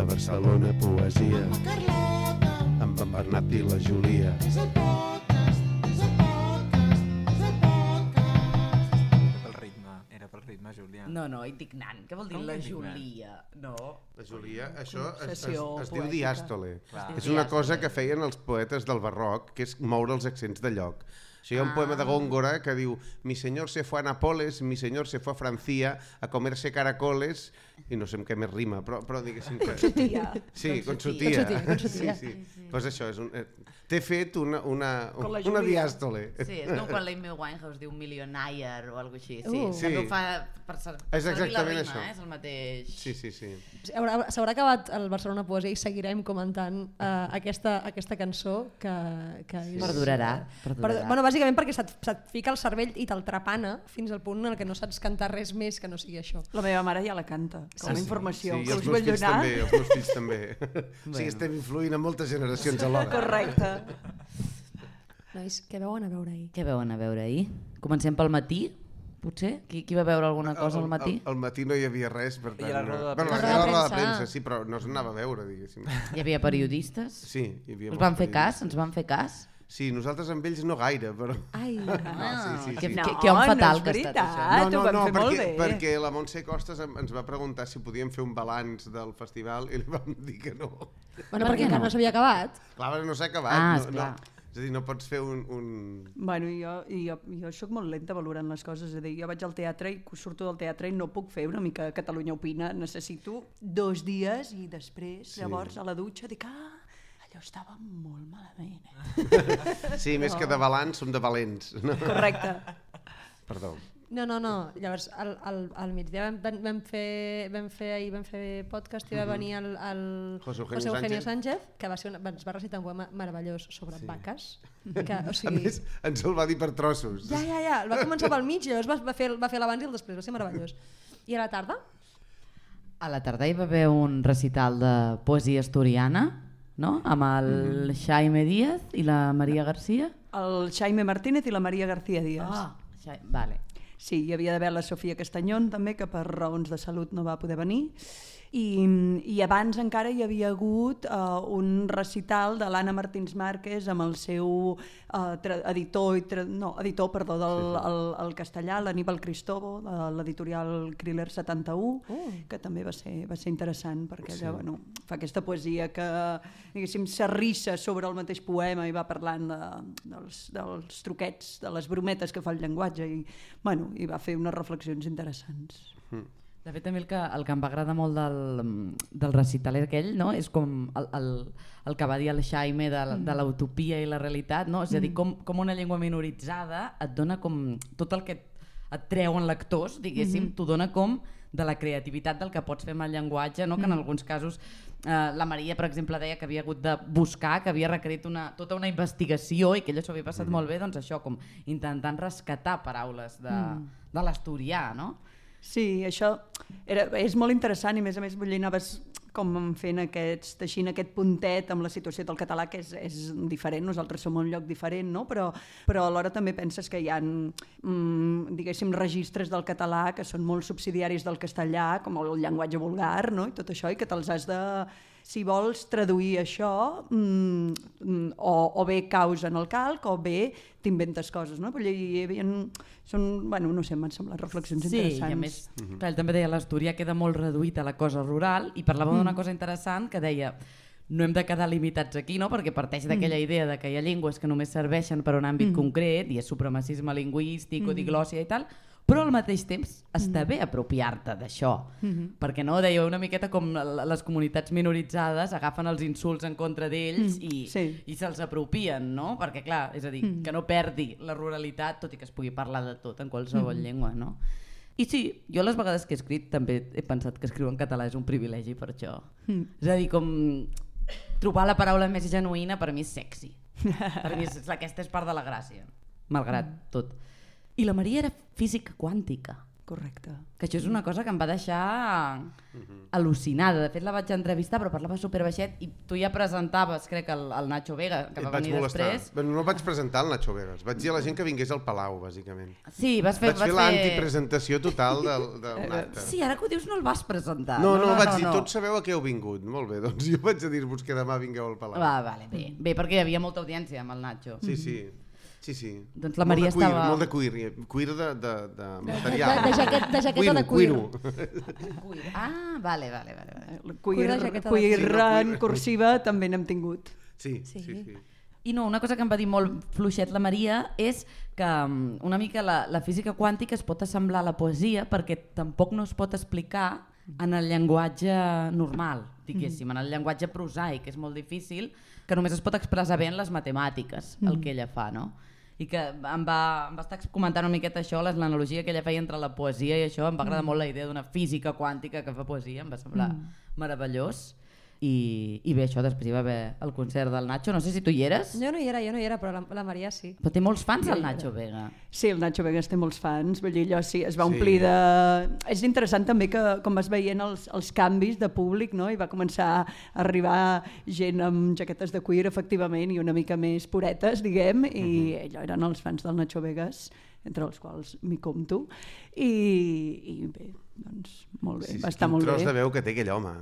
de Barcelona Poesia amb en Bernat i la Júlia. Era pel ritme, Júlia. No, indignant. Què vol dir la Júlia? No. La Júlia, això es Concessió diu diàstole. Clar. És una cosa que feien els poetes del barroc, que és moure els accents de lloc. Hi ha un poema de Góngora que diu «Mi señor se fue a Nápoles, mi señor se fue a Francia a comerse caracoles», i no sé amb què més rima, però diguéssim que... Sí, con su tía. Sí. Pues això, t'he fet una diàstole. Sí, és com quan l'Amy Winehouse diu millionaire o alguna cosa així. Sí, Sí. també ho fa per servir la exactament rima, això. és el mateix. Sí. S'haurà acabat el Barcelona Poesia i seguirem comentant aquesta cançó que és... Perdurarà. Bueno, bàsicament perquè se't fica al cervell i te'l trapana fins al punt en què no saps cantar res més que no sigui això. La meva mare ja la canta, com a informació. Sí, i els meus fills també. Sí, estem influint en moltes generacions alhora. Correcte. Nois, què veuen a veure ahir? Què veuen a veure ahir? Comencem pel matí, potser? Qui va veure alguna cosa al matí? Al matí no hi havia res, per tant... I la roda de Bueno, premsa. la roda de premsa, sí, però no s'anava a veure, diguéssim. Hi havia periodistes? Sí, hi havia Us van fer periodistes. cas? Ens van fer cas? Sí, nosaltres amb ells no gaire, però... Ai, sí. Que home fatal és que ha estat això. veritat, ho vam fer molt bé. perquè la Montse Costas ens va preguntar si podíem fer un balanç del festival i li vam dir que no. bueno, perquè encara no s'havia acabat. Clar, no s'ha acabat. Esclar. És a dir, no pots fer un... Bueno, jo soc molt lenta valorant les coses, és a dir, jo vaig al teatre i surto del teatre i no puc fer una mica Catalunya Opina, necessito 2 dies i després, llavors, a la dutxa dic, allò estava molt malament. Sí, més que de balanç, som de valents. No? Correcte. Perdó. No. Llavors, al migdia vam fer podcast i va venir el José Eugenio Sánchez, que ens va recitar un poema meravellós sobre vaques. Que, o A sigui, més, ens el va dir per trossos. ja, el va començar pel mig i llavors va fer l'abans i el després, va ser meravellós. I a la tarda? A la tarda hi va haver un recital de poesia asturiana, no? Amb el Jaime Díaz i la Maria Garcia. El Jaime Martínez i la Maria García Díaz. Vale. Sí, hi havia d'haver la Sofia Castanyón també, que per raons de salut no va poder venir. I abans encara hi havia hagut un recital de l'Anna Martins Márquez amb el seu editor del castellà, l'Aníbal Cristobo, de l'editorial Kriller 71, que també va ser interessant, perquè ella fa aquesta poesia que, diguéssim, s'arrissa sobre el mateix poema i va parlant dels truquets, de les brometes que fa el llenguatge, i va fer unes reflexions interessants. De fet, també el que em va agradar molt del recital aquell, no? És com el que va dir el Jaime de l'utopia i la realitat, no? És a dir, com una llengua minoritzada et dona com tot el que et treuen lectors, diguéssim, t'ho dona com de la creativitat del que pots fer amb el llenguatge, no? Que en alguns casos la Maria, per exemple, deia que havia hagut de buscar, que havia requerit tota una investigació i que ella s'ho havia passat molt bé, doncs això, com intentant rescatar paraules de l'asturià, no? Sí, això és molt interessant i a més vull dir, anaves com fent teixint aquest puntet amb la situació del català, que és diferent, nosaltres som un lloc diferent, no? Però alhora també penses que hi ha, diguéssim, registres del català que són molt subsidiaris del castellà, com el llenguatge vulgar, no? I tot això, i que te'ls has de... Si vols traduir això, o bé caus en el calc o bé t'inventes coses, no? No sé, m'han semblat reflexions interessants. Sí, i a més, ell també deia l'asturià queda molt reduït a la cosa rural i parlava d'una cosa interessant que deia no hem de quedar limitats aquí, no? Perquè parteix d'aquella idea de que hi ha llengües que només serveixen per un àmbit concret i és supremacisme lingüístic o diglòssia i tal, però al mateix temps està bé apropiar-te d'això, perquè no, deia una miqueta com les comunitats minoritzades agafen els insults en contra d'ells i se'ls apropien, no? Perquè clar, és a dir, que no perdi la ruralitat, tot i que es pugui parlar de tot en qualsevol llengua, no? I sí, jo les vegades que he escrit també he pensat que escriure en català és un privilegi per això. És a dir, com trobar la paraula més genuïna per mi és sexy. Per mi aquesta és part de la gràcia, malgrat tot. I la Maria era física quàntica. correcte. Que això és una cosa que em va deixar al·lucinada. De fet, la vaig entrevistar, però parlava superbaixet i tu ja presentaves, crec, el Nacho Vega, que va venir després. Bueno, no vaig presentar el Nacho Vegas, vaig dir a la gent que vingués al Palau, bàsicament. Sí, vaig fer l'antipresentació total del acte. Sí, ara que ho dius no el vas presentar. No, vaig dir, tots sabeu a què heu vingut. Molt bé, doncs jo vaig a dir-vos que demà vingueu al Palau. Vale, bé, perquè hi havia molta audiència amb el Nacho. Sí. Doncs la Maria estava... Molt de cuir de material. De jaqueta de cuir. Cuir. Ah, vale. Cuir en cursiva també n'hem tingut. Sí. I no, una cosa que em va dir molt fluixet la Maria és que una mica la física quàntica es pot assemblar a la poesia perquè tampoc no es pot explicar en el llenguatge normal, diguéssim, en el llenguatge prosaic, que és molt difícil, que només es pot expressar bé en les matemàtiques, el que ella fa, no? I que em va estar comentant una miqueta això, l'analogia que ella feia entre la poesia i això, em va agradar molt la idea d'una física quàntica que fa poesia, em va semblar meravellós. I bé, això, després hi va haver el concert del Nacho, no sé si tu hi eres. Jo no hi era, però la Maria sí. Però té molts fans el Nacho Vega. Sí, el Nacho Vega té molts fans, vull dir, allò sí, es va omplir de... És interessant també que com vas veient els canvis de públic, no? I va començar a arribar gent amb jaquetes de cuir, efectivament, i una mica més puretes, diguem, i allò eren els fans del Nacho Vegas, entre els quals m'hi compto, i bé, doncs molt bé, va estar molt bé. Quin tros de veu que té aquell home.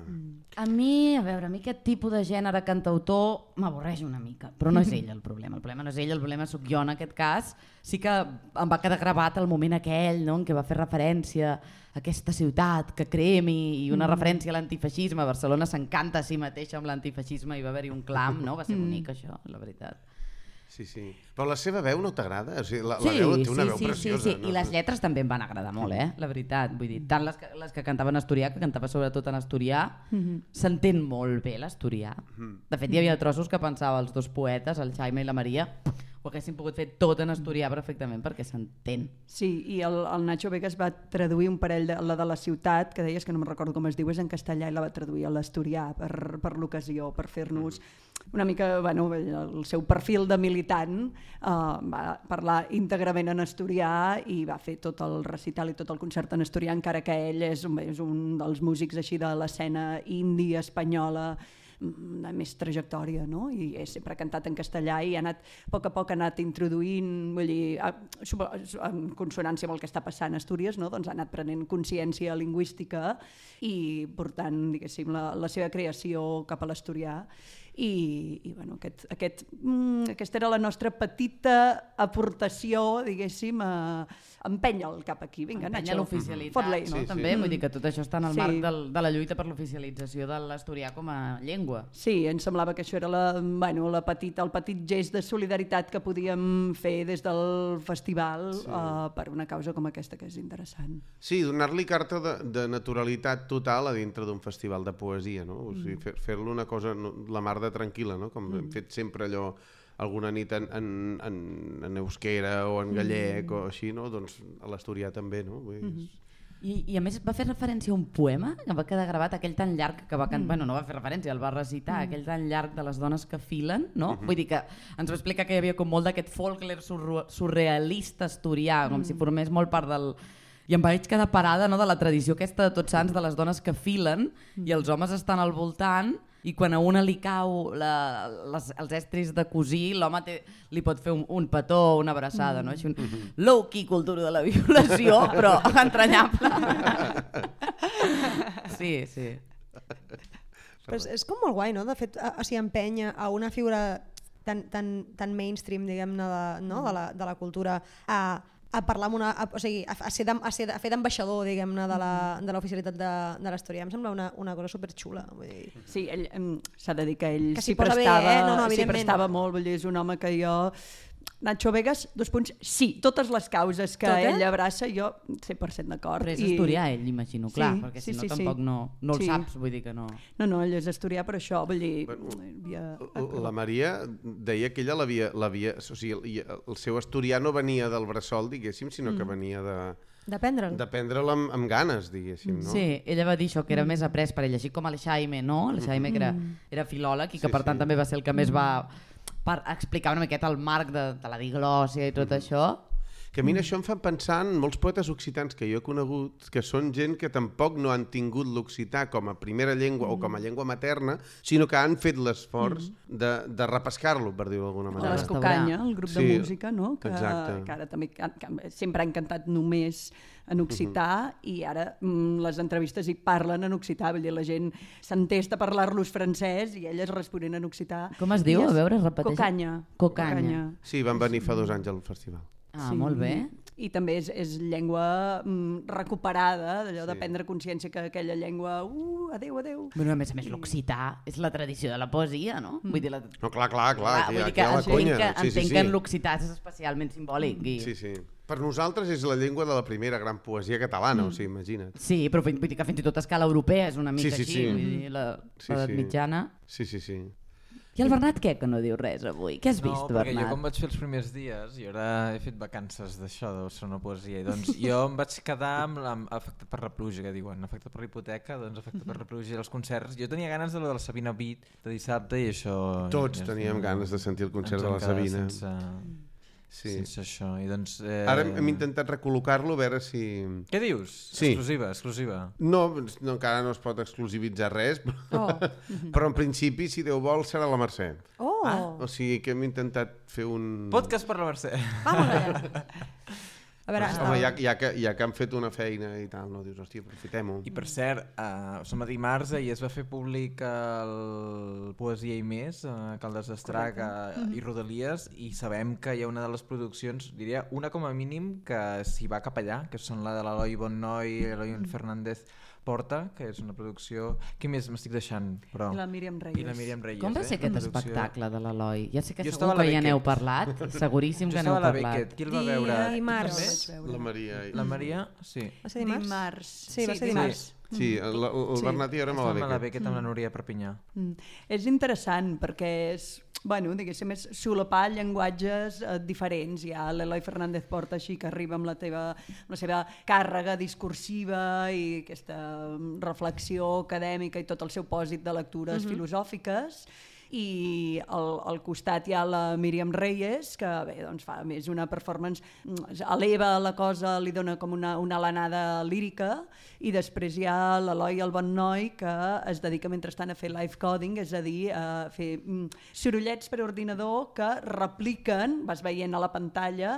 A mi aquest tipus de gènere cantautor m'avorreix una mica, però no és ell el problema no és ell, el problema sóc jo en aquest cas. Sí que em va quedar gravat el moment aquell, no?, en què va fer referència a aquesta ciutat que cremi i una referència a l'antifeixisme. Barcelona s'encanta a si mateixa amb l'antifeixisme i va haver-hi un clam, no? Va ser bonic això, la veritat. Sí. Però la seva veu no t'agrada? O sigui, la veu té una veu preciosa. Sí. I les lletres també em van agradar molt, la veritat. Vull dir, tant les que cantaven en asturià, que cantava sobretot en asturià, s'entén molt bé l'asturià. De fet, hi havia trossos que pensava els dos poetes, el Jaime i la Maria, ho haguessin pogut fer tot en asturià perfectament perquè s'entén. Sí, i el Nacho Vegas va traduir un parell, la de la ciutat, que deies que no me'n recordo com es diu, és en castellà, i la va traduir a l'asturià per l'ocasió, per fer-nos una mica, bueno, el seu perfil de militant, va parlar íntegrament en asturià i va fer tot el recital i tot el concert en asturià, encara que ell és un dels músics així de l'escena indie espanyola de més trajectòria, no? I sempre ha cantat en castellà i a poc ha anat introduint, vull dir, en consonància amb el que està passant a Astúries, no? Doncs ha anat prenent consciència lingüística i portant, diguéssim, la seva creació cap a l'asturià. I bueno, aquesta era la nostra petita aportació, diguéssim, empènyer-el cap aquí. Vinga, Nacho, l'oficialitat, no? També, vull dir que tot això està en el marc de la lluita per l'oficialització de l'asturià com a llengua. Sí, ens semblava que això era el petit gest de solidaritat que podíem fer des del festival per una causa com aquesta, que és interessant. Sí, donar-li carta de naturalitat total a dintre d'un festival de poesia, no? O sigui, fer-lo una cosa, la mar de tranquil·la, no? Com hem fet sempre allò alguna nit en euskera o en gallec o així, no? Doncs a l'asturià també, no? I a més va fer referència a un poema que va quedar gravat, aquell tan llarg que va cantar, bueno, no va fer referència, el va recitar, aquell tan llarg de les dones que filen, no? Vull dir que ens va explicar que hi havia com molt d'aquest folklore surrealista asturià, com si formés molt part del... I em vaig quedar parada, no, de la tradició aquesta de Tots Sants, de les dones que filen i els homes estan al voltant, i quan a una li cau els estris de cosir, l'home li pot fer un petó o una abraçada, no? Així low-key cultura de la violació, però entranyable. Sí. Però és com molt guai, no? De fet, s'hi empenya a una figura tan mainstream, diguem-ne, de la cultura, a parlar amb a fer d'ambaixador, diguem-ne, de l'oficialitat de l'asturià. Em sembla una cosa superxula. Sí, s'ha de dir que ell que s'hi prestava molt, vull dir, és un home que jo... Nacho Vegas, sí, totes les causes que ell abraça, jo 100% d'acord. Però és asturià ell, imagino, clar, perquè si no tampoc no el saps, vull dir que no... No, ell és asturià, però això, vull dir... La Maria deia que ella l'havia... O sigui, el seu asturià no venia del bressol, diguéssim, sinó que venia de... D'aprendre'l amb ganes, diguéssim, no? Sí, ella va dir això, que era més après per ell, així com el Jaime, no? El Jaime que era filòleg i que per tant també va ser el que més va... per explicar una miqueta el marc de la diglòssia i tot això. Que a mi això em fa pensar en molts poetes occitans que jo he conegut, que són gent que tampoc no han tingut l'occità com a primera llengua o com a llengua materna, sinó que han fet l'esforç de repescar-lo, per dir-ho d'alguna O manera. l'Escocanya, el grup de Sí, música, no? Que ara també que sempre han cantat només en occità i ara les entrevistes hi parlen en occità, vull dir, la gent s'entesta a parlar-los francès i elles responen en occità. Com es diu? A veure, repeteix. Cocanya. Cocanya. Sí, van venir fa 2 anys al festival. Ah, molt bé. I també és llengua recuperada, d'allò de prendre consciència que aquella llengua, adeu. Bueno, a més, l'occità és la tradició de la poesia, no? Vull dir, No, clar, vull dir que entenc que en l'occità és especialment simbòlic. Sí. Per nosaltres és la llengua de la primera gran poesia catalana, o sigui, imagina't. Sí, però vull dir que fins i tot a escala europea és una mica Sí. així, vull dir, l'edat mitjana. Sí. I el Bernat què, que no diu res avui? Què has vist, perquè Bernat? jo com vaig fer els primers dies, i ara he fet vacances d'això, deu ser una poesia, i doncs jo em vaig quedar amb afectat per la pluja, que diuen, afectat per la hipoteca, doncs afectat per la pluja i els concerts. Jo tenia ganes de la Sabina Beat de dissabte i això... Tots teníem ganes de sentir el concert de la Sabina. Sense això, i doncs... Ara hem intentat recol·locar-lo, a veure si... Què dius? Sí. Exclusiva. No, encara no es pot exclusivitzar res, però en principi, si Déu vol, serà la Mercè. O sigui que hem intentat fer un... Podcast per la Mercè. Vamos allà. A veure, Home, ja que han fet una feina i tal, no dius, hòstia, aprofitem-ho. I per cert, som a dimarts i es va fer públic el Poesia i Més, Caldes d'Estrac i Rodalies, i sabem que hi ha una de les produccions, diria una com a mínim, que s'hi va cap allà, que són la de l'Eloi Bonnoy, Eloi Fernández Porta, que és una producció... Què més m'estic deixant? Però... I la Míriam Reyes. I la Míriam Reyes. Com va ser aquest Producció... espectacle de l'Eloi? Ja sé que Jo segur estava a la que ja n'heu Beckett. parlat, seguríssim que n'heu parlat. Qui el va veure? Dimarts. També? La Maria... La Maria, sí. Va ser dimarts? Dimarts. Sí, va ser dimarts. Sí, el Bernat i jo érem a Estàvem a la la Beckett amb la Núria Perpinyà. És interessant perquè és, bueno, diguéssim, és solapar llenguatges diferents. Hi ha l'Eloi Fernández Porta així que arriba amb la seva càrrega discursiva i aquesta reflexió acadèmica i tot el seu pòsit de lectures filosòfiques, i al costat hi ha la Míriam Reyes, que bé, doncs fa més una performance, eleva la cosa, li dona com una alenada lírica, i després hi ha l'Eloi el Bonnoy, que es dedica mentrestant a fer live coding, és a dir, a fer sorollets per ordinador que repliquen, vas veient a la pantalla,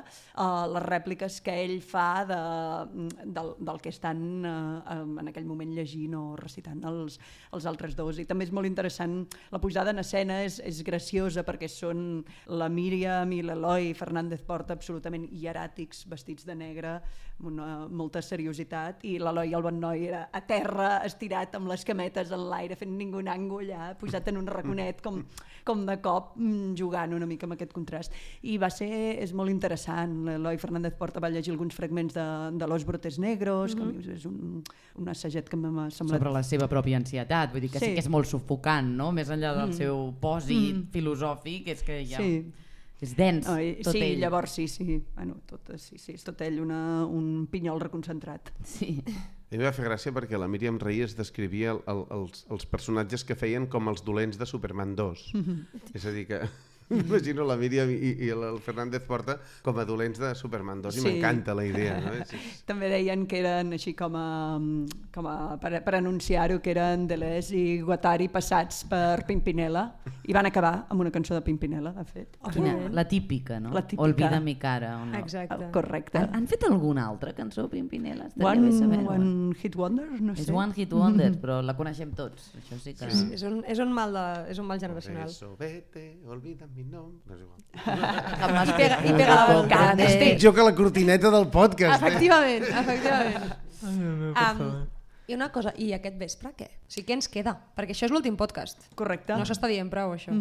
les rèpliques que ell fa del que estan en aquell moment llegint o recitant els altres dos. I també és molt interessant la pujada en escena, és graciosa perquè són la Míriam i l'Eloi Fernández Porta absolutament hieràtics, vestits de negre, amb molta seriositat, i l'Eloi el Bonnoy era a terra, estirat amb les cametes en l'aire, fent ningú nango allà, posat en un raconet com de cop, jugant una mica amb aquest contrast. I és molt interessant. L'Eloi Fernández Porta va llegir alguns fragments de Los Brotes Negros, que és un assaget que m'ha semblat... Sobre la seva pròpia ansietat, vull dir que sí que és molt sufocant, no? Més enllà del seu pòsit filosòfic, és que ja... És dens, tot ell. Llavors bueno, és tot ell un pinyol reconcentrat. Sí. A mi va fer gràcia perquè la Míriam Reyes descrivia els personatges que feien com els dolents de Superman 2. És a dir que... Imagino la Míriam i el Fernández Porta com a dolents de Superman 2 i m'encanta la idea. No? També deien que eren així per anunciar-ho, que eren Deleuze i Guattari passats per Pimpinela, i van acabar amb una cançó de Pimpinela, de fet. Quina? La típica, no? La típica. Olvida mi cara. O no? Exacte. Correcte. Han fet alguna altra cançó Pimpinela? Estaria bé saber-ho. One Hit Wonder? No sé. És One Hit Wonder, però la coneixem tots. Això sí que... És un mal generacional. Eso, vete, olvida mi nom... No és igual. I pega la boca. Jo que la cortineta del podcast. Efectivament. I una cosa, i aquest vespre què? O sigui, què ens queda? Perquè això és l'últim podcast. Correcte. No s'està dient prou, això.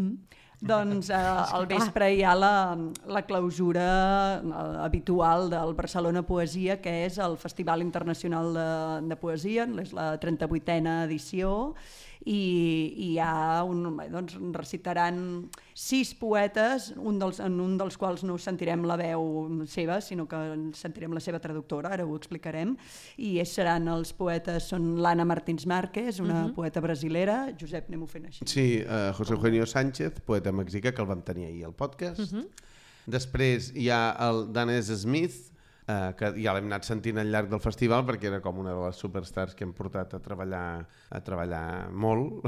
Doncs al vespre hi ha la clausura habitual del Barcelona Poesia, que és el Festival Internacional de Poesia, és la 38a edició, i hi ha doncs recitaran 6 poetes, en un dels quals no sentirem la veu seva, sinó que sentirem la seva traductora, ara ho explicarem, i seran els poetes, són l'Anna Martins Márquez, una poeta brasilera, Josep, anem-ho fent així. Sí, José Eugenio Sánchez, poeta mexicà, que el vam tenir ahir al podcast. Després hi ha el Danez Smith, que ja l'hem anat sentint al llarg del festival perquè era com una de les superstars que hem portat a treballar molt.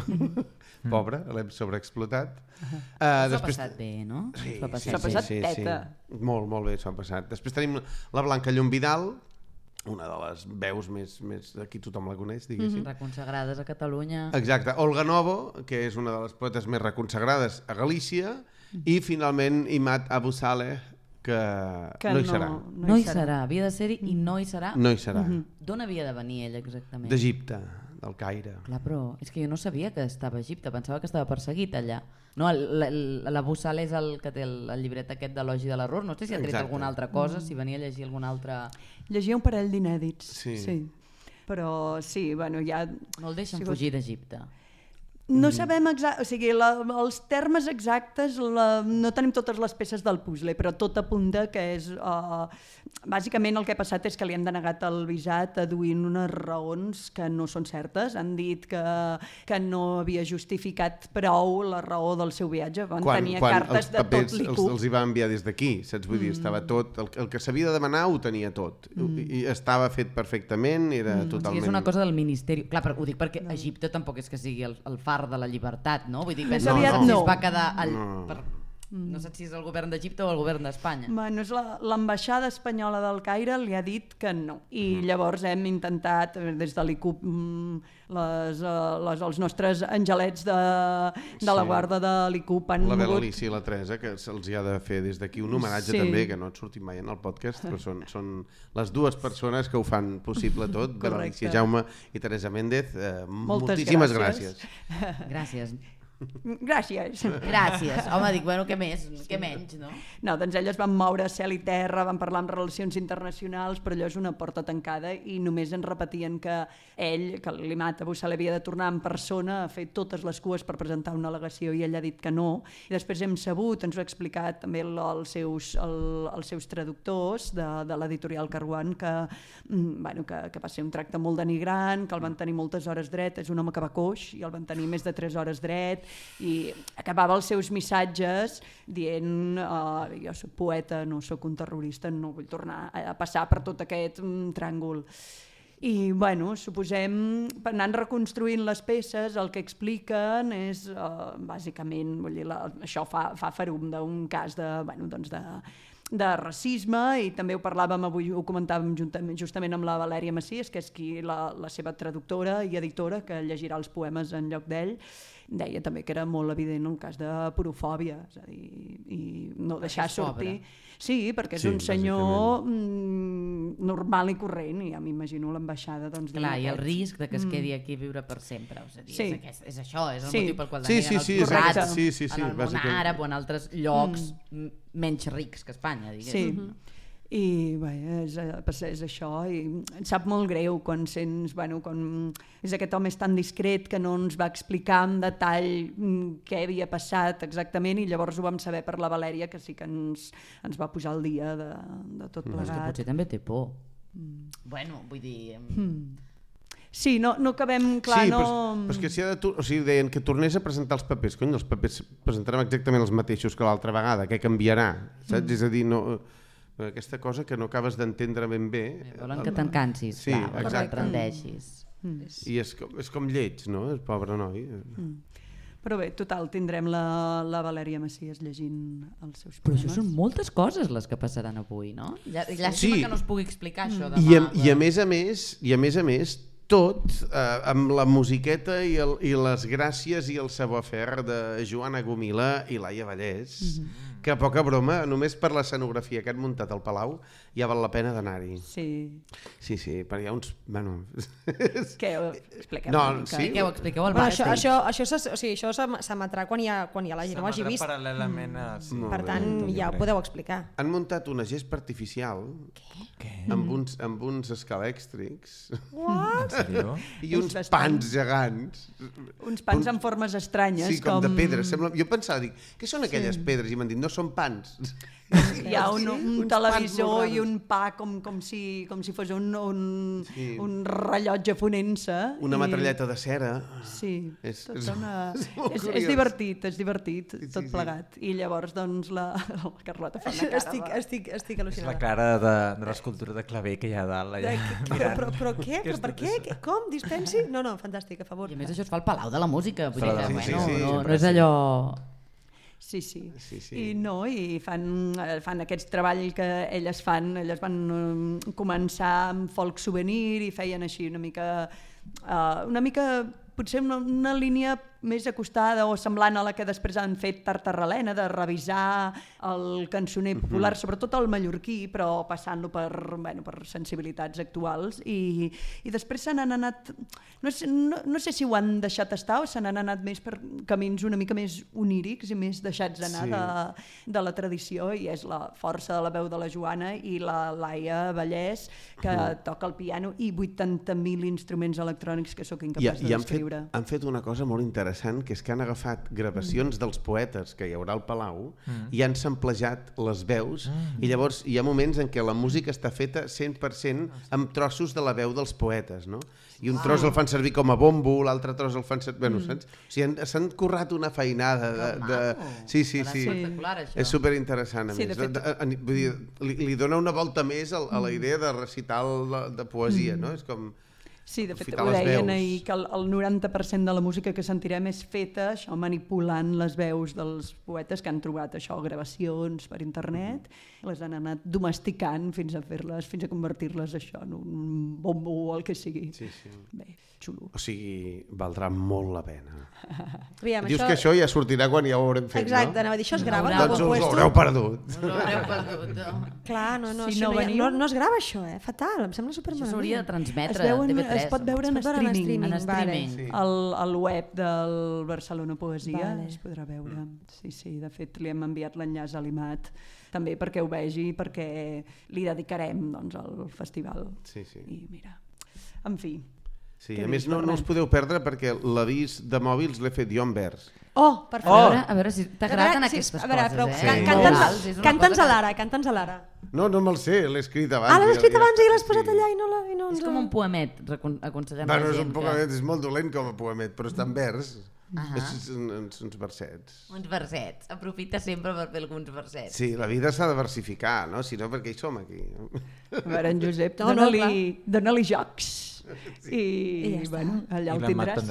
Pobre, l'hem sobreexplotat. S'ho ha passat bé, no? Sí, S'ho ha passat S'ha passat teta. Molt, molt bé s'ho ha passat. Després tenim la Blanca Llomvidal, una de les veus més aquí tothom la coneix, diguéssim. Reconsagrades a Catalunya. Exacte. Olga Novo, que és una de les poetes més reconsagrades a Galícia, i finalment Imad Abu Saleh, que no hi serà. No hi serà, havia de ser-hi i no hi serà. No hi serà. D'on havia de venir ell exactament? D'Egipte, del Caire. Clar, però és que jo no sabia que estava a Egipte, pensava que estava perseguit allà. No, l'Abu Saleh és el que té el llibret aquest d'Elogi de l'error, no sé si ha tret alguna altra cosa, si venia a llegir alguna altra... Llegia un parell d'inèdits, sí. Però sí, bueno, ja... No el deixen fugir d'Egipte. No sabem o sigui, els termes exactes, no tenim totes les peces del puzzle, però tot apunta que és... bàsicament el que ha passat és que li han denegat el visat aduint unes raons que no són certes. Han dit que no havia justificat prou la raó del seu viatge. Van tenir cartes de tot l'IQ. Els hi va enviar des d'aquí, saps? Vull dir, estava tot... El que s'havia de demanar ho tenia tot. I estava fet perfectament, era totalment... O sigui, és una cosa del Ministeri... Clar, ho dic perquè Egipte tampoc és que sigui el far de la llibertat, no? Vull dir, Més aviat no. Es va quedar... No sé si és el govern d'Egipte o el govern d'Espanya. Bueno, l'ambaixada espanyola del Caire li ha dit que no. I llavors hem intentat, des de l'ICUP, els nostres angelets de la guarda de l'ICUP han mogut... La mogut... Alicia i la Teresa, que se'ls hi ha de fer des d'aquí un homenatge també, que no et sortim mai en el podcast, però són les dues persones que ho fan possible tot, Alicia Jaume i Teresa Méndez. Moltíssimes gràcies. Gràcies. Gràcies. Gràcies. Home, dic, bueno, què més? Què menys, no? No, doncs elles van moure cel i terra, van parlar amb relacions internacionals, però allò és una porta tancada i només ens repetien que ell, que l'Imad Abu Saleh havia de tornar en persona a fer totes les cues per presentar una al·legació i ell ha dit que no. I després hem sabut, ens ho ha explicat també els seus traductors de l'editorial Caruan, que va ser un tracte molt denigrant, que el van tenir moltes hores dret, és un home que va coix i el van tenir més de 3 hores dret, i acabava els seus missatges dient jo soc poeta, no soc un terrorista, no vull tornar a passar per tot aquest tràngol. I bueno, suposem, anant reconstruint les peces, el que expliquen és bàsicament, vull dir, això fa ferum d'un cas de racisme, i també ho parlàvem avui, ho comentàvem justament amb la Valèria Macias, que és la seva traductora i editora, que llegirà els poemes en lloc d'ell. Deia també que era molt evident el cas de porofòbia, és a dir, i no deixar sortir... Sí, perquè és un senyor normal i corrent, i ja m'imagino l'ambaixada... Clar, i el risc de que es quedi aquí a viure per sempre, és això, és el motiu pel qual deneguen els forrats en el món àrab o en altres llocs menys rics que Espanya, diguéssim. I bé, és això, i em sap molt greu quan sents, quan és aquest home tan discret que no ens va explicar en detall què havia passat exactament, i llavors ho vam saber per la Valèria, que sí que ens va posar al dia de tot plegat. És que potser també té por. Bueno, vull dir... Sí, no acabem, clar, sí, però és que si deien que tornés a presentar els papers, cony, els papers presentarem exactament els mateixos que l'altra vegada, què canviarà, saps? És a dir, no... aquesta cosa que no acabes d'entendre ben bé. Volen que te'n cansis, sí, que t'aprendeixis. I és com lleig, no? El pobre noi. Però bé, total, tindrem la Valèria Macias llegint els seus poemes. Però això són moltes coses les que passaran avui, no? Llàstima que no es pugui explicar això demà. I a més a més, tot amb la musiqueta i les gràcies i el savoir-faire de Joana Gomila i Laia Vallès, que poca broma, només per l'escenografia que han muntat al Palau ja val la pena d'anar-hi. Sí, perquè hi ha uns... Què ho expliqueu? Expliqueu al backstage. Això s'emetrà quan hi ha la gent ho hagi vist. Paral·lelament a... Per tant, ja ho podeu explicar. Han muntat una gespa artificial amb uns escalèxtrics. What? I uns pans gegants. Uns pans amb formes estranyes. Sí, com de pedra. Jo pensava, dic, què són aquelles pedres? I m'han dit, no són pans. Hi ha un televisor i un pa com si fos un rellotge fonent-se. Una metralleta de cera. Sí, és divertit, tot plegat. I llavors, doncs, la Carlota fa una cara. Estic És al·lucinada. la cara de l'escultura de claver que hi ha a dalt. Però què? Però per què? Com? Dispensi? No, fantàstic, a favor. I a més això es fa al Palau de la Música. Vull dir que, Sí, no és allò... Sí. I fan aquest treball que elles fan. Elles van començar amb folk souvenir i feien així una mica potser una línia més acostada o semblant a la que després han fet Tartarralena, de revisar el cançoner popular, sobretot el mallorquí, però passant-lo per sensibilitats actuals. I després se n'han anat... No sé si ho han deixat estar o se n'han anat més per camins una mica més onírics i més deixats anar de la tradició, i és la força de la veu de la Joana i la Laia Vallès, que toca el piano, i 80.000 instruments electrònics que sóc incapaç de descriure. Han fet una cosa molt interessant, que és que han agafat gravacions dels poetes que hi haurà al Palau i han samplejat les veus, i llavors hi ha moments en què la música està feta 100% amb trossos de la veu dels poetes, no? I un tros el fan servir com a bombo, l'altre tros el fan servir... Bueno, saps? O sigui, s'han currat una feinada de... Sí. És superinteressant, a més. Vull dir, li dona una volta més a la idea de recital de poesia, no? És com... Sí, de fet, ho deien ahir, que el 90% de la música que sentirem és feta això, manipulant les veus dels poetes que han trobat això, gravacions per internet, les han anat domesticant fins a convertir-les això en un bombo o el que sigui. Sí. Bé, xulo. O sigui, valdrà molt la pena. Aviam, Dius que això ja sortirà quan ja ho haurem fet, Exacte, no? anava a dir, això es grava? Doncs us l'haureu perdut. Clar, no es grava això, fatal, em sembla supermalament. Això s'hauria de transmetre a TV3. Es pot veure en streaming. Vale. Al web del Barcelona Poesia es podrà veure. Sí, de fet li hem enviat l'enllaç a l'Imat també perquè ho vegi, perquè li dedicarem al festival. Sí. I mira, en fi. Sí, a més no us podeu perdre perquè l'avís de mòbils l'he fet jo en vers. Oh, per favor. A veure si t'agraden aquestes coses, Canta'ns a l'ara. No me'l sé, l'he escrit abans. L'has escrit abans i l'has posat allà i no... És com un poemet, aconsellem la Bueno, és gent. un poemet, és molt dolent com a poemet, però està en vers. Uns versets. Uns versets. Aprofita sempre per fer alguns versets. Sí, la vida s'ha de versificar, no? Si no, per què hi som aquí? A veure, en Josep, dona-li jocs. I bueno, allà el tindràs.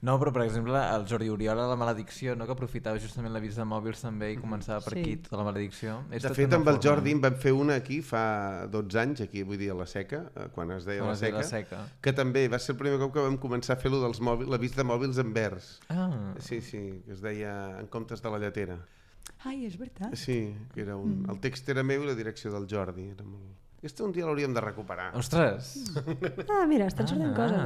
No, però per exemple el Jordi Oriol a La Maledicció, no, que aprofitava justament l'avís de mòbils també i començava per aquí tota La Maledicció. De fet, amb el Jordi en vam fer una aquí fa 12 anys, aquí vull dir a la Seca, quan es deia la Seca, que també va ser el primer cop que vam començar a fer l'avís de mòbils en vers. Sí, que es deia En comptes de la lletera. Ai, és veritat. Sí, que era el text era meu i la direcció del Jordi. Era molt... Aquesta un dia l'hauríem de recuperar. Ostres! Mira, estan sortint coses,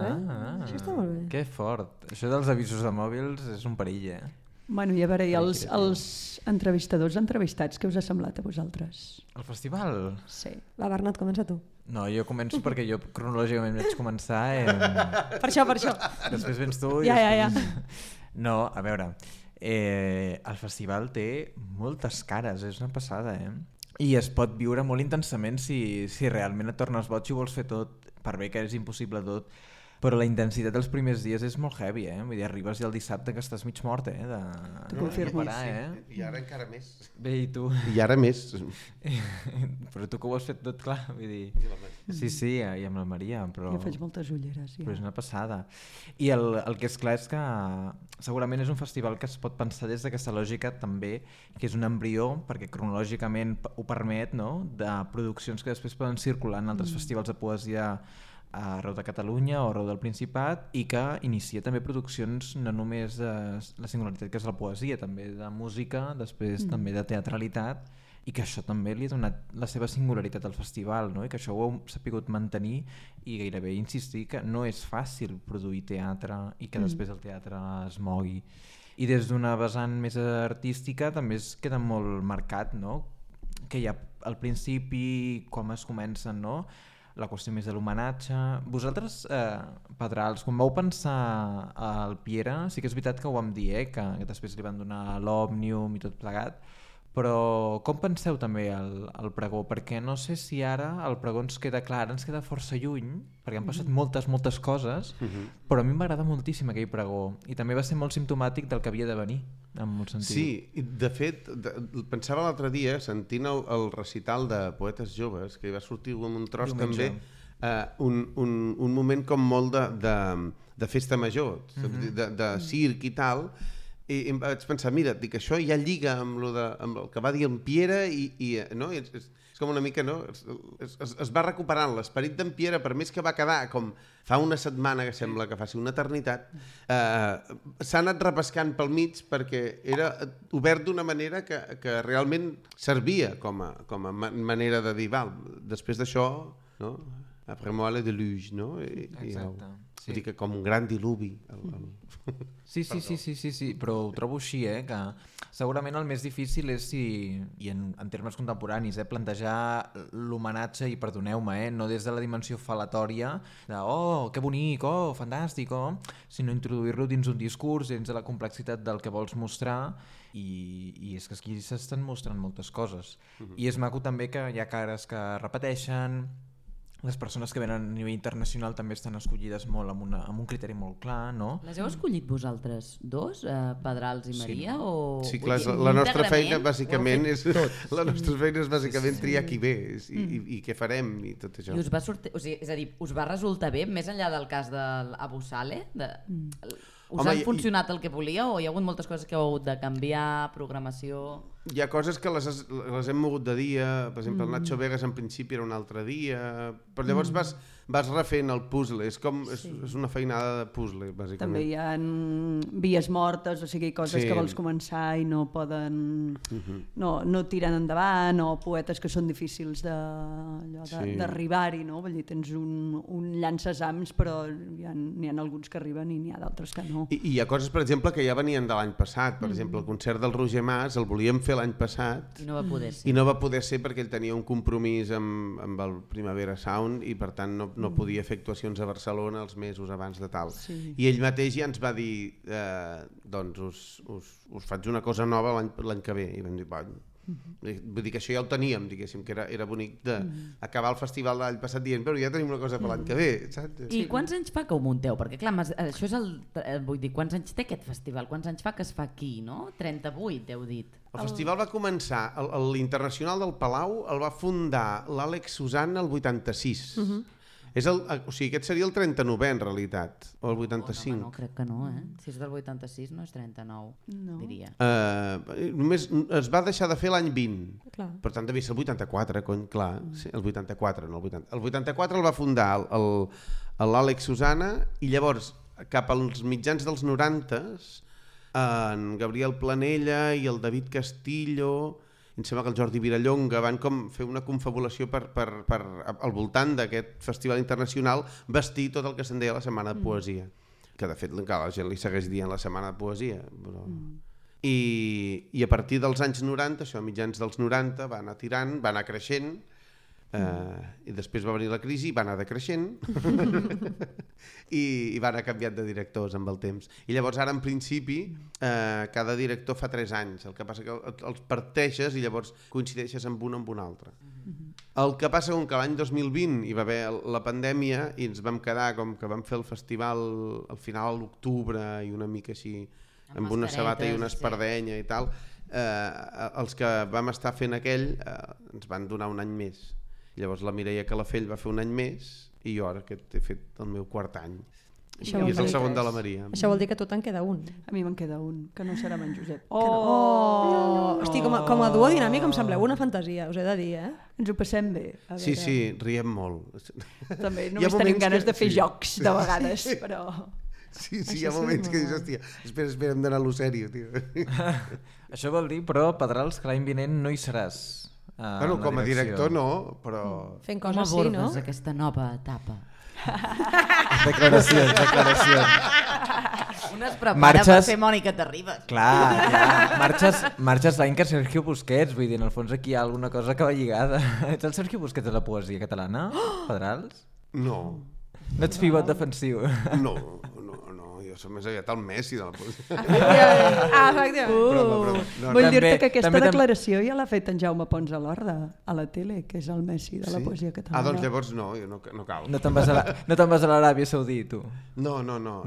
Això està molt bé. Que fort. Això dels avisos de mòbils és un perill, Bueno, i a veure, els entrevistadors entrevistats, què us ha semblat a vosaltres? El festival? Sí. Va, Bernat, comença tu. No, jo començo perquè jo cronològicament vaig començar... Per això. Després vens tu i Ja. No, a veure, el festival té moltes cares, és una passada, I es pot viure molt intensament si realment et tornes boig i vols fer tot, per bé que és impossible tot, però la intensitat dels primers dies és molt heavy, Vull dir, arribes el dissabte que estàs mig mort, T'ho confirmo. I ara encara més. Bé, i tu? I ara més. Però tu que ho has fet tot clar, vull dir... Sí, i amb la Maria, però... Jo faig moltes ulleres, Però és una passada. I el que és clar és que segurament és un festival que es pot pensar des d'aquesta lògica també, que és un embrió, perquè cronològicament ho permet, no?, de produccions que després poden circular en altres festivals de poesia arreu de Catalunya o arreu del Principat, i que inicia també produccions no només de la singularitat que és la poesia, també de música, després també de teatralitat, i que això també li ha donat la seva singularitat al festival, no? I que això ho heu sapigut mantenir i gairebé insistir que no és fàcil produir teatre i que després el teatre es mogui. I des d'una vessant més artística també es queda molt marcat, no?, que hi ha al principi, com es comencen, no?, la qüestió més de l'homenatge. Vosaltres, Pedrals, quan vau pensar al Piera, sí que és veritat que ho vam dir, que després li van donar l'Òmnium i tot plegat, però com penseu també el pregó? Perquè no sé si ara el pregó ens queda clar, ara ens queda força lluny, perquè han passat moltes coses, però a mi m'agrada moltíssim aquell pregó i també va ser molt simptomàtic del que havia de venir, en molt sentit. Sí, i de fet, pensava l'altre dia, sentint el recital de Poetes Joves, que hi va sortir un tros també, un moment com molt de festa major, de circ i tal, i em vaig pensar, mira, dic, això ja lliga amb el que va dir en Piera i no? És com una mica, no? Es va recuperant l'esperit d'en Piera, per més que va quedar com fa una setmana, que sembla que faci una eternitat, s'ha anat repescant pel mig perquè era obert d'una manera que realment servia com a manera de dir, val, després d'això, no? Après moi le déluge, no? Exacte. Vull dir que com un gran diluvi. Sí, però ho trobo així, que segurament el més difícil és i en termes contemporanis, plantejar l'homenatge, i perdoneu-me, no des de la dimensió falatòria de oh, que bonic, oh, fantàstic, sinó introduir-lo dins un discurs, dins de la complexitat del que vols mostrar, i és que aquí s'estan mostrant moltes coses. I és maco també que hi ha cares que repeteixen, les persones que venen a nivell internacional també estan escollides molt amb un criteri molt clar, no? Les heu escollit vosaltres dos, Pedrals i Maria? Sí, clar, la nostra feina bàsicament és triar qui ve i què farem i tot això. I us va sortir, és a dir, us va resultar bé, més enllà del cas de l'Abu Saleh? Us ha funcionat el que volia o hi ha hagut moltes coses que heu hagut de canviar, programació? Hi ha coses que les hem mogut de dia, per exemple el Nacho Vegas en principi era un altre dia, però llavors vas refent el puzzle, és una feinada de puzzle, bàsicament. També hi ha vies mortes, o sigui, coses que vols començar i no poden... no tiren endavant, o poetes que són difícils d'arribar-hi, no? Vull dir, tens un llançasams, però n'hi ha alguns que arriben i n'hi ha d'altres que no. I hi ha coses, per exemple, que ja venien de l'any passat, per exemple, el concert del Roger Mas el volíem fer l'any passat i no va poder ser. I no va poder ser perquè ell tenia un compromís amb el Primavera Sound i per tant no podia fer actuacions a Barcelona els mesos abans de tal. I ell mateix ja ens va dir doncs us faig una cosa nova l'any que ve i vam dir, vull dir que això ja ho teníem, diguéssim, que era bonic d'acabar el festival de l'any passat dient però ja tenim una cosa per l'any que ve, saps? I quants anys fa que ho munteu? Perquè clar, això és vull dir, quants anys té aquest festival? Quants anys fa que es fa aquí, no? 38, heu dit. El festival va començar, l'Internacional del Palau el va fundar l'Àlex Susanna el 86. O sigui, aquest seria el 39è en realitat, o el 85. No, crec que no, Si és del 86 no és 39, diria. Només es va deixar de fer l'any 20, clar. Per tant devia ser el 84, clar, sí, el 84, no el 80. El 84 el va fundar l'Àlex Susanna i llavors cap als mitjans dels 90s en Gabriel Planella i el David Castillo, em sembla que el Jordi Virallonga van com fer una confabulació per al voltant d'aquest festival internacional vestir tot el que se'n deia la Setmana de Poesia, que de fet la gent li segueix dient la Setmana de Poesia, però... I a partir dels anys 90, això a mitjans dels 90, va anar tirant, va anar creixent, i després va venir la crisi i va anar decreixent i va anar canviant de directors amb el temps. I llavors ara en principi cada director fa 3 anys, el que passa que els parteixes i llavors coincideixes amb un altre. El que passa és que l'any 2020 hi va haver la pandèmia i ens vam quedar com que vam fer el festival al final a l'octubre i una mica així amb una sabata i una espardenya i tal, els que vam estar fent aquell ens van donar un any més. Llavors la Mireia Calafell va fer un any més i jo ara que he fet el meu 4è any. I és el segon de la Maria. Això vol dir que a tu te'n queda un. A mi me'n queda un, que no serà amb en Josep. Hosti, com a duo dinàmic em sembleu una fantasia, us he de dir, Ens ho passem bé. Sí, riem molt. També només tenim ganes de fer jocs de vegades, però... Sí, hi ha moments que dius, hòstia, espera, hem d'anar a lo sèrio, tio. Això vol dir, però, Pedrals, que l'any vinent no hi seràs. Bueno, com a director no, però... Fent coses sí, no? Aquesta nova etapa. Declaracions. Un es prepara per fer Mònica Terribas. Clar. Marxes l'any que Sergio Busquets, vull dir, en el fons aquí hi ha alguna cosa que va lligada. Ets el Sergio Busquets de la poesia catalana, Pedrals? No. No ets pivot defensiu. No, jo som més aviat el Messi de la poesia. Efectivament. Vull dir-te que aquesta declaració ja l'ha fet en Jaume Pons a l'Horda, a la tele, que és el Messi de la poesia catalana. Doncs llavors no, jo no cal. No te'n vas a l'Aràbia Saudí, tu? No, jo no.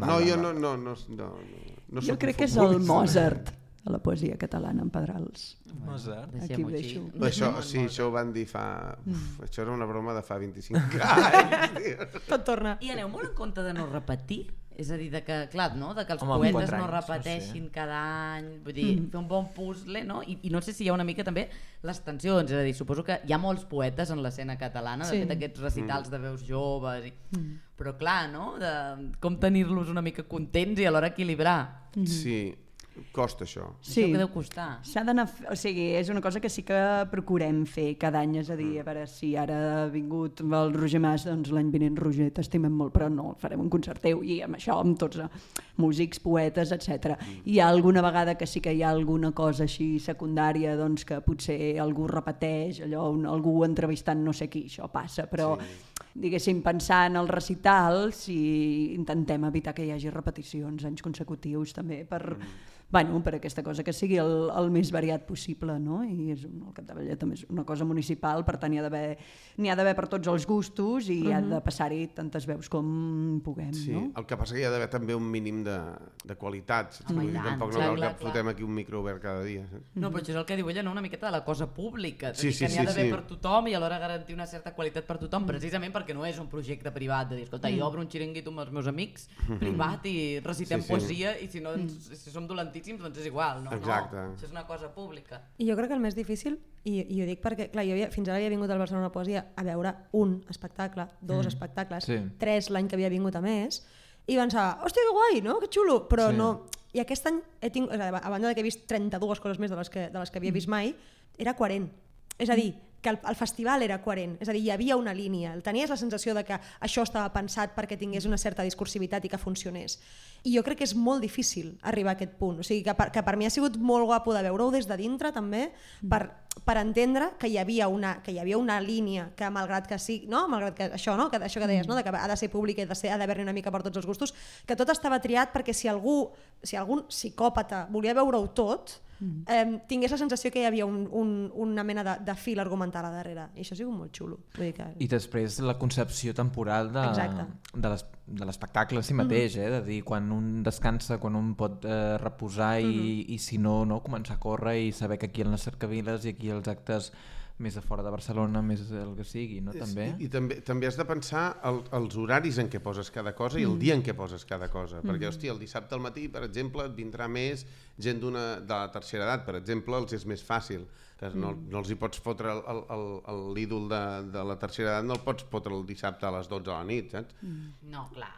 Jo crec que és el Mozart de la poesia catalana, en Pedrals. Mozart? Aquí ho deixo. Això ho van dir fa... Això era una broma de fa 25 anys. Tot torna. I aneu molt en compte de no repetir? És a dir, de que, clar, no? De que els poetes no repeteixin cada any, vull dir, fer un bon puzzle, no? I no sé si hi ha una mica també les tensions, és a dir, suposo que hi ha molts poetes en l'escena catalana, de fet aquests recitals de veus joves, però clar, no? De com tenir-los una mica contents i alhora equilibrar. Sí, costa això. Sí, això que deu costar. S'ha d'anar, o sigui, és una cosa que sí que procurem fer cada any, és a dir, a veure si ara ha vingut el Roger Mas, doncs l'any vinent Roger, t'estimem molt, però no, farem un concert teu i amb això, amb tots músics, poetes, etc. Hi ha alguna vegada que sí que hi ha alguna cosa així secundària, doncs que potser algú repeteix, allò, algú entrevistant no sé qui, això passa, però diguéssim, pensant en el recital, si intentem evitar que hi hagi repeticions anys consecutius també per aquesta cosa que sigui el més variat possible, no? I és el capdavall també és una cosa municipal, per tant n'hi ha d'haver per tots els gustos i ha de passar-hi tantes veus com puguem, no? El que passa que hi ha d'haver també un mínim de qualitat, tampoc no cal que fotem aquí un micro obert cada dia. No, però això és el que diu ella, no? Una miqueta de la cosa pública, que n'hi ha d'haver per tothom i alhora garantir una certa qualitat per tothom, precisament perquè no és un projecte privat, de dir, escolta, jo obro un xiringuito amb els meus amics, privat, i recitem poesia, i si no, si som dolentíssims, doncs és igual, no? Exacte. No, això és una cosa pública. I jo crec que el més difícil, i ho dic perquè clar, jo fins ara havia vingut al Barcelona Poesia a veure un espectacle, 2 espectacles, 3 l'any que havia vingut a més, i pensava, hòstia, que guai, no? Que xulo, però no... I aquest any he tingut, a banda que he vist 32 coses més de les que havia vist mai, era coherent. És a dir, que el festival era coherent, és a dir, hi havia una línia, tenies la sensació de que això estava pensat perquè tingués una certa discursivitat i que funcionés. I jo crec que és molt difícil arribar a aquest punt, o sigui que per mi ha sigut molt guapo de veure-ho des de dintre també, per entendre que hi havia una línia que malgrat que sí, no? Malgrat que això, no? Que deies, no? De que ha de ser públic i ha d'haver-hi una mica per tots els gustos, que tot estava triat perquè si algun psicòpata volia veure-ho tot, tingués la sensació que hi havia una mena de fil argumental a darrere, i això ha sigut molt xulo. Vull dir que... I després la concepció temporal de l'espectacle en si mateix, de dir, quan un descansa, quan un pot reposar i si no, començar a córrer i saber que aquí en les cercaviles i aquí els actes més a fora de Barcelona, més el que sigui, no? També. I també has de pensar els horaris en què poses cada cosa i el dia en què poses cada cosa, perquè, hòstia, el dissabte al matí, per exemple, et vindrà més gent de la tercera edat, per exemple, els és més fàcil, no els hi pots fotre l'ídol de la tercera edat, no el pots fotre el dissabte a les 12 de la nit, saps? No, clar.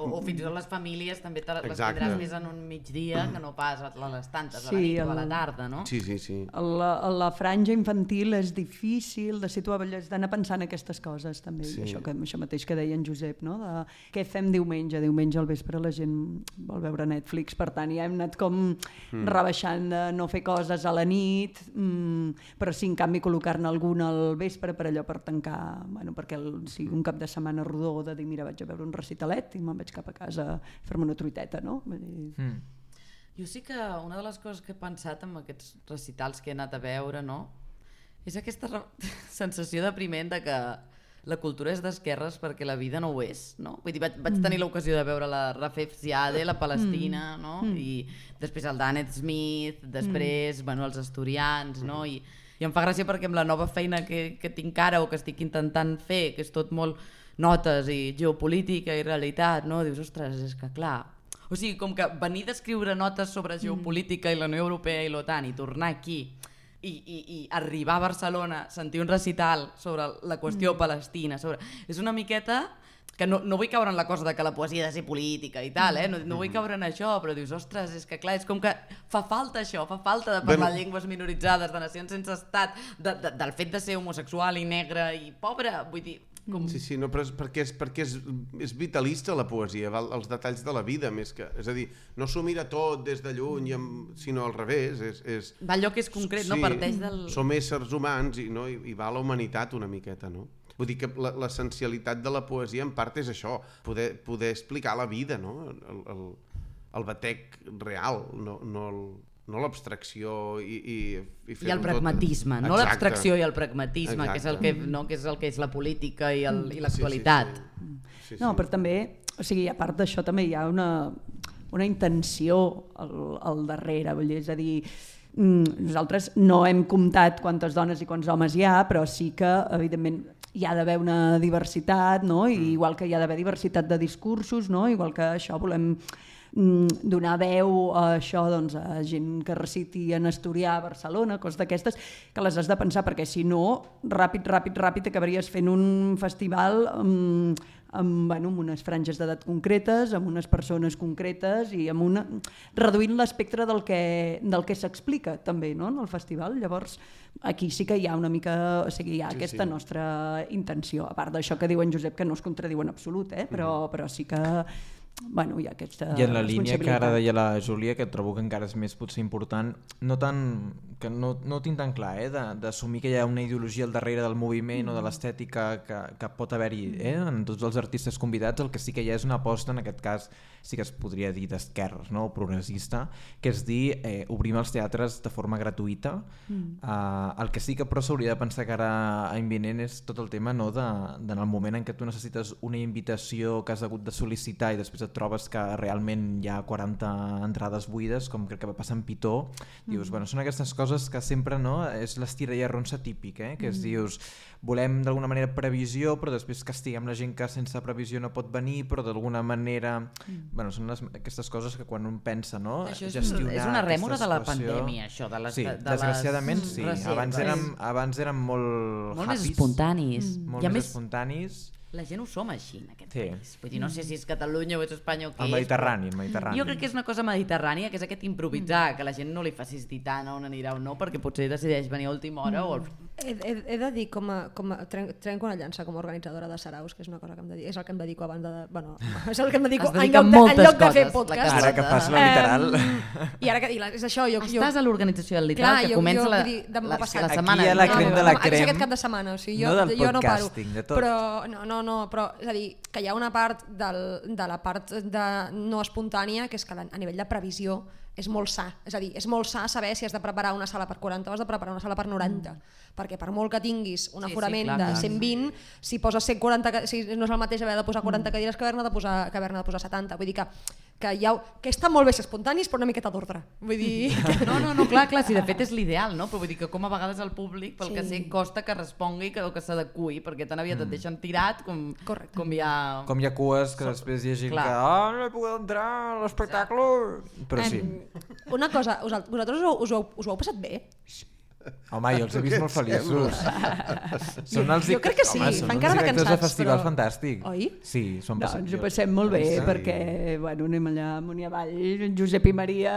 O fins i tot les famílies també les tindràs més en un migdia que no pas a les tantes, a la nit o a la tarda, no? Sí. La franja infantil és difícil de situar, has d'anar pensant aquestes coses també, això mateix que deia en Josep, no? De què fem diumenge al vespre la gent vol veure Netflix, per tant ja hem anat com rebaixant de no fer coses a la nit, però sí en canvi col·locar-ne alguna al vespre per allò per tancar, perquè sigui un cap de setmana rodó de dir mira vaig a veure un recitalet i me'n vaig cap a casa a fer-me una truiteta, no? Jo sí que una de les coses que he pensat amb aquests recitals que he anat a veure, no? És aquesta sensació depriment de que la cultura és d'esquerres perquè la vida no ho és, no? Vull dir, vaig tenir l'ocasió de veure la Rafef Ziade, la Palestina, no? I després el Daneth Smith, després, els asturians, no? I em fa gràcia perquè amb la nova feina que tinc ara o que estic intentant fer, que és tot molt notes i geopolítica i realitat, no? Dius, ostres, és que clar... O sigui, com que venir d'escriure notes sobre geopolítica i la Unió Europea i l'OTAN i tornar aquí i arribar a Barcelona, sentir un recital sobre la qüestió palestina, és una miqueta... que no vull caure en la cosa de que la poesia ha de ser política i tal, no vull caure en això, però dius, ostres, és que clar, és com que fa falta això, fa falta de parlar llengües minoritzades, de nacions sense estat, del fet de ser homosexual i negre i pobre, vull dir, Sí, no, però perquè és vitalista la poesia, val? Els detalls de la vida més que... És a dir, no s'ho mira tot des de lluny, sinó al revés. Va allò que és concret, no? Parteix del... Som éssers humans i va a la humanitat una miqueta, no? Vull dir que l'essencialitat de la poesia en part és això, poder explicar la vida, no? El batec real, no l'abstracció i el pragmatisme, no l'abstracció i el pragmatisme, que és el que és la política i l'actualitat. No, però també, o sigui, a part d'això també hi ha una intenció al darrere, vull dir, és a dir, nosaltres no hem comptat quantes dones i quants homes hi ha, però sí que, evidentment, hi ha d'haver una diversitat, no? I igual que hi ha d'haver diversitat de discursos, no? Igual que això volem donar veu a això, doncs, a gent que reciti en asturià a Barcelona, coses d'aquestes, que les has de pensar, perquè si no, ràpid acabaries fent un festival amb unes franges d'edat concretes, amb unes persones concretes i reduint l'espectre del que s'explica també, no? En el festival. Llavors aquí sí que hi ha una mica, o sigui, hi ha aquesta nostra intenció, a part d'això que diu en Josep, que no es contradiu en absolut, però sí que hi ha aquesta i en la línia que ara deia la Júlia, que trobo que encara és més potser important, no tinc tan clar d'assumir que hi ha una ideologia al darrere del moviment o de l'estètica que pot haver-hi en tots els artistes convidats. El que sí que hi ha és una aposta, en aquest cas sí que es podria dir d'esquerres, no? O progressista, que és dir obrim els teatres de forma gratuïta. El que sí que però s'hauria de pensar que ara any vinent és tot el tema, no? En el moment en què tu necessites una invitació que has hagut de sol·licitar i després et trobes que realment hi ha 40 entrades buides, com crec que va passar en Pitó, dius, bueno, són aquestes coses que sempre, no? És l'estira i arronsa típic, que es dius, volem d'alguna manera previsió, però després castiguem la gent que sense previsió no pot venir, però d'alguna manera... Bueno, són aquestes coses que quan un pensa, no? Això és una rèmora de la pandèmia, això. Sí, desgraciadament sí. Abans érem molt més espontanis. Molt més espontanis. La gent ho som així en aquest país. Vull dir, no sé si és Catalunya o és Espanya o què és. El Mediterrani. Jo crec que és una cosa mediterrània, que és aquest improvisar, que la gent no li facis dir tant on anirà o no, perquè potser decideix venir a última hora o... He de dir, trenco una llança com a organitzadora de saraus, que és una cosa que és el que em dedico abans de... Bueno, és el que em dedico en lloc de fer podcast. Ara que fas la literal. I ara que és això... Estàs a l'organització del literal, que comença la setmana. Aquí hi ha la crem de la crem. Aquest cap de setmana, o sigui, no del podcasting, de tot. No, però és a dir, que hi ha una part de la part no espontània que és que a nivell de previsió és molt sa, és a dir, és molt sa saber si has de preparar una sala per 40 o has de preparar una sala per 90, perquè per molt que tinguis un aforament de 120, si poses 140, si no és el mateix haver de posar 40 cadires que haver-ne de posar 70, vull dir que està molt bé ser espontanis però una miqueta d'ordre, vull dir... No, clar, si de fet és l'ideal, no? Però vull dir que com a vegades el públic, pel que sé, costa que respongui o que s'adeqüi, perquè tan aviat et deixen tirat com hi ha... Com hi ha cues que després hi ha gent que no he pogut entrar a l'espectacle, però sí. Una cosa, vosaltres us ho heu passat bé? Home, jo els he vist molt feliços. Jo crec que sí, fan cara de cansats. Són uns directors de festival fantàstic. Oi? Sí, ens ho passem molt bé, perquè anem allà amunt i avall, Josep i Maria...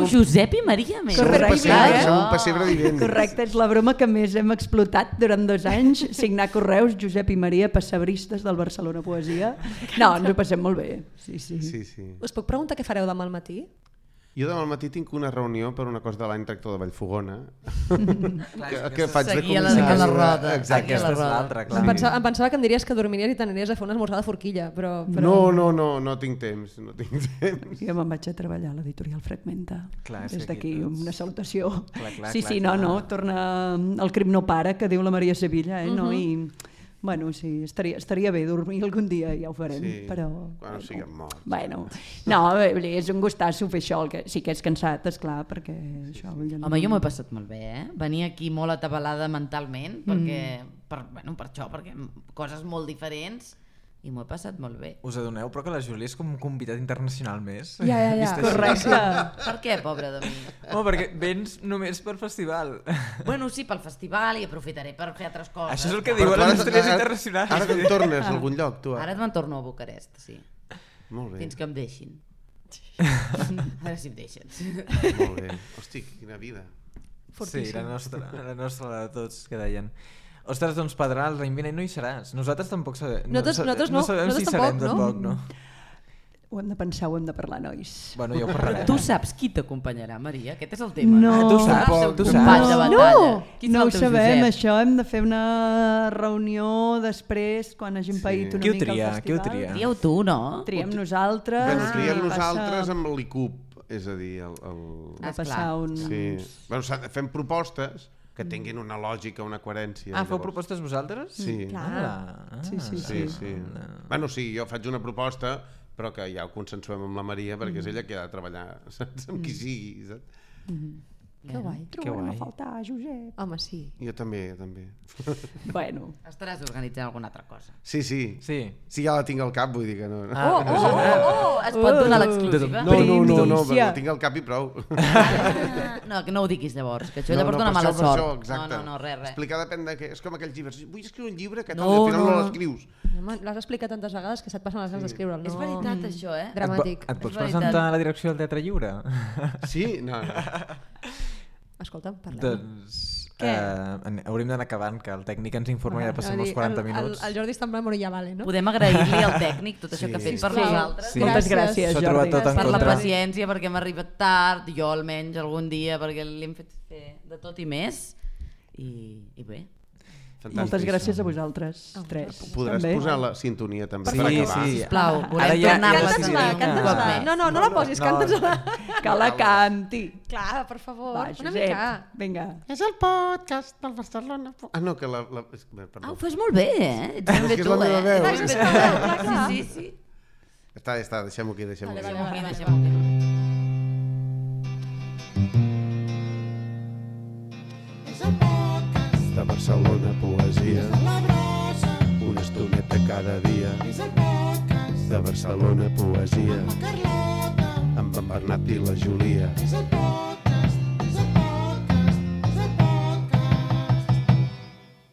Josep i Maria, més. Som un pessebre vivent. Correcte, és la broma que més hem explotat durant 2 anys, signar correus, Josep i Maria, pessebristes del Barcelona Poesia. No, ens ho passem molt bé. Sí. Us puc preguntar què fareu demà al matí? Jo demà al matí tinc una reunió per una cosa de l'any tractor de Vallfogona que faig de comissari. Seguir a la roda. Exacte, aquesta és l'altra, clar. Em pensava que em diries que dormiries i t'aniries a fer una esmorzar de forquilla, però... No tinc temps. Jo me'n vaig a treballar a l'editorial Fragmenta. Des d'aquí una salutació. Sí, torna el crim no para, que diu la Maria Sevilla, no? I... Bueno, sí, estaria bé dormir algun dia, ja ho farem, però... Quan siguem morts. No, és un gustasso fer això, sí que és cansat, esclar, perquè això... Home, jo m'ho he passat molt bé, Venir aquí molt atabalada mentalment, per això, perquè coses molt diferents... I m'ho he passat molt bé. Us adoneu, però que la Júlia és com un convidat internacional més? Ja. Correcte. Per què, pobra de mi? Perquè vens només per festival. Bueno, sí, pel festival i aprofitaré per fer altres coses. Això és el que diuen les estrelles internacionals. Ara te'n tornes a algun lloc, tu? Ara me'n torno a Bucarest, sí. Molt bé. Fins que em deixin. A veure si em deixen. Molt bé. Hosti, quina vida. Fortíssim. Sí, la nostra de tots, que deien. Ostres, doncs Pedral, l'any vinent no hi seràs. Nosaltres tampoc sabem. Nosaltres no. No sabem si Nosaltres serem tampoc, tampoc, no? Ho hem de pensar, ho hem de parlar, nois. Bueno, ja ho parlarem. Tu saps qui t'acompanyarà, Maria? Aquest és el tema. No. Tu saps, El teu tu company saps. de batalla. Qui No serà ho el teu sabem, Josep? això hem de fer una reunió després, quan hagin paït una Qui ho mica tria? el Qui ho festival. tria? Trieu tu, no? Triem nosaltres. Bueno, triem i nosaltres amb l'ICUP, és a dir, Va Esclar. passar un... Sí. Bueno, fem propostes que tinguin una lògica, una coherència. Ah, feu llavors. propostes vosaltres? Sí. Ah, Sí, sí, Sí, sí. Bueno, sí, jo faig una proposta, però que ja ho consensuem amb la Maria, perquè és ella que ha de treballar, saps? Amb qui sigui, saps? Que guai. Trobarem a faltar, Josep. Home, sí. Jo també, jo també. Bueno. Estaràs organitzant alguna altra cosa. Sí, sí. Sí. Sí, ja la tinc al cap, vull dir que no. Es pot donar l'exclusiva? No, Primícia. però la tinc al cap i prou. No, que no ho diguis llavors, que això No, llavors no, dona per mala això, per sort. això, exacte. No, res. Explicar depèn de què. És com aquells llibres. Vull escriure un llibre que tal, No, i al final no no. l'escrius. Home, l'has explicat tantes vegades que se't passen les ganes d'escriure'l. No? És veritat, això, eh? Dramàtic. Et pots És veritat. presentar a la direcció del Teatre Lliure? Sí? No, no. Escolta'm, parlem. Doncs... Què? Hauríem d'anar acabant, que el tècnic ens informa i ja passem els 40 minuts. El Jordi està en plan, bueno, ja vale, no? Podem agrair-li al tècnic tot això que ha fet per sisplau. nosaltres. Sí. Moltes gràcies, S'ho ha trobat Jordi. tot en Per la contra. paciència, perquè hem arribat tard, jo almenys algun dia, perquè li hem fet fer de tot i més. I bé. Fantàstic. Moltes gràcies a vosaltres, tres. Podràs també. posar la sintonia també Sí, per acabar. sí. Sisplau, Ara volem ja- tornar-la a Canta-nos-la, sentir un canta-nos-la. cop més. No la posis, canta-nos-la. Que la canti. Clar, per favor, Va, una Josep, mica. vinga. És el podcast del Barcelona. Ah, no, que Ah, perdó. ho fas molt bé, eh? Ets ben És bé que és tu, la meva veu. Clar, és que està, clar. Sí, sí. Està, deixem-ho aquí, deixem-ho aquí. Deixem-ho aquí, deixem-ho aquí. De Barcelona poesia, una estoneta cada dia. De Barcelona poesia, amb en Bernat i la Júlia.